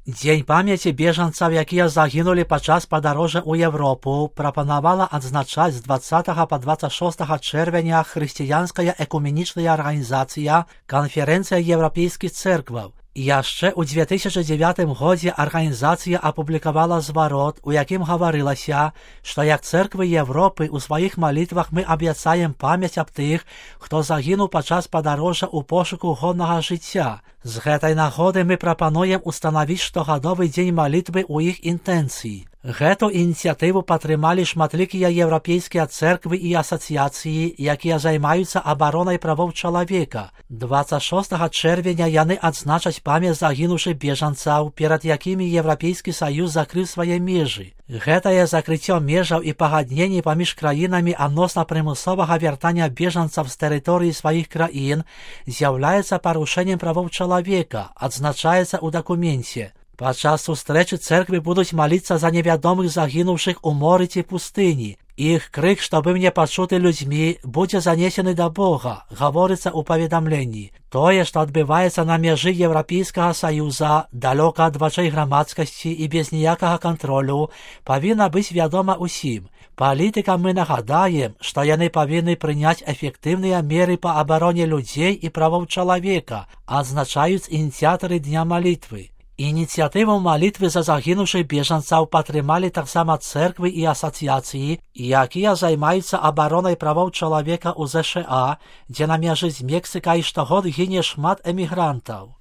Дзень памяці бежанцаў, якія загінулі падчас падарожжа ў Европу, прапанавала адзначаць з 20 па 26 чэрвеня хрысціянская экуменічная арганізацыя Канферэнцыя еўрапейскіх цэркваў. Яшчэ ў 2009 годзе арганізацыя апублікавала зварот, у якім гаварылася, што як цэрквы Европы ў сваіх малітвах мы абяцаем памяць аб тых, хто загінуў падчас падарожжа ў пошуку годнага жыцця. З гэтай нагоды мы прапануем устанавіць штогадовы дзень малітвы ў іх інтэнцыі. Гэту ініцыятыву падтрымалі шматлікія еўрапейскія цэрквы і асацыяцыі, якія займаюцца абаронай правоў чалавека. 26 чэрвеня яны адзначаць памяць загінуўшых бежанцаў, перад якімі Еўрапейскі саюз закрыў свае межы. Гэтае закрыццё межаў і пагадненні паміж краінамі адносна прымусовага вяртання бежанцаў з тэрыторыі сваіх краін з'яўляецца парушэннем правоў чалавека, адзначаецца ў дакуменце. Падчас сустрэчы цэрквы будуць маліцца за невядомых загінуўшых у моры ці пустыні. Іх крык, што быў не пачуты людзьмі, будзе занесены да Бога, гаворыцца ў паведамленні. Тое, што адбываецца на мяжы Еўрапейскага саюза, далёка ад вачэй грамадскасці і без ніякага кантролю, павінна быць вядома ўсім. Палітыкам мы нагадаем, што яны павінны прыняць эфектыўныя меры па абароне людзей і правоў чалавека, адзначаюць ініцыятары дня малітвы. Ініцыятыву малітвы за загінуўшых бежанцаў падтрымалі таксама цэрквы і асацыяцыі, якія займаюцца абаронай правоў чалавека ў ЗША, дзе на мяжы з Мексікай штогод гіне шмат эмігрантаў.